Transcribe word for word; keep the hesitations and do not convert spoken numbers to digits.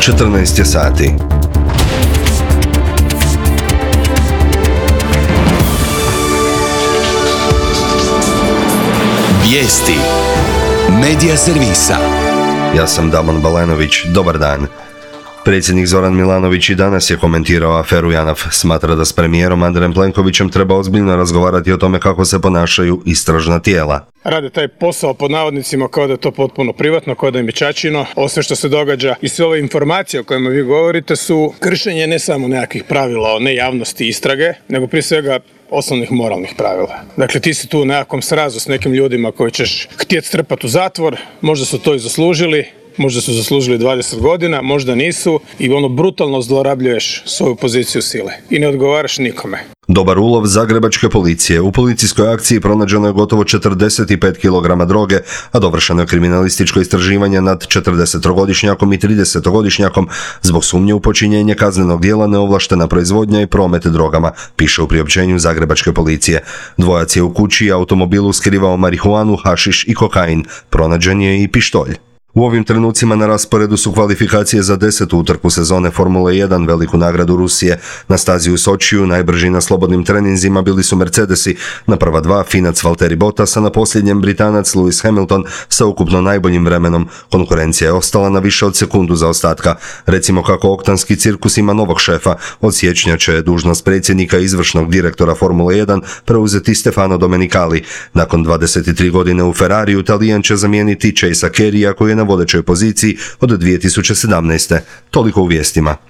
četrnaest je sati. Vijesti Medija servisa. Ja sam Damon Balenović, dobar dan. Predsjednik Zoran Milanović i danas je komentirao aferu JANAF. Smatra da s premijerom Andrejem Plenkovićem treba ozbiljno razgovarati o tome kako se ponašaju istražna tijela. Rade taj posao pod navodnicima kao da je to potpuno privatno, kao da im je ćaćino. Ovo sve što se događa i sve ove informacije o kojima vi govorite su kršenje ne samo nekakvih pravila o nejavnosti istrage, nego prije svega osnovnih moralnih pravila. Dakle, ti si tu u nekakvom srazu s nekim ljudima koji ćeš htjeti strpati u zatvor, možda su to i zaslužili, možda su zaslužili dvadeset godina, možda nisu i ono brutalno zlorabljuješ svoju poziciju sile i ne odgovaraš nikome. Dobar ulov zagrebačke policije. U policijskoj akciji pronađeno je gotovo četrdeset pet kilograma droge, a dovršeno je kriminalističko istraživanje nad četrdesetogodišnjakom i tridesetogodišnjakom zbog sumnje u počinjenje kaznenog djela neovlaštena proizvodnja i promet drogama, piše u priopćenju zagrebačke policije. Dvojac je u kući i automobilu skrivao marihuanu, hašiš i kokain. Pronađen je i pištolj. U ovim trenucima na rasporedu su kvalifikacije za desetu utrku sezone Formule jedan, veliku nagradu Rusije. Na stazi u Sočiju najbrži na slobodnim treninzima bili su Mercedesi, na prva dva Finac Valtteri Bottas, a na posljednjem Britanac Lewis Hamilton sa ukupno najboljim vremenom. Konkurencija je ostala na više od sekundu zaostatka. Recimo kako oktanski cirkus ima novog šefa. Od siječnja će dužnost predsjednika i izvršnog direktora Formule jedan preuzeti Stefano Domenicali. Nakon dvadeset tri godine u Ferrariju, Talijan će zamijeniti Chasea Careyja koji je na vodećoj poziciji od dvije tisuće sedamnaeste. Toliko u vijestima.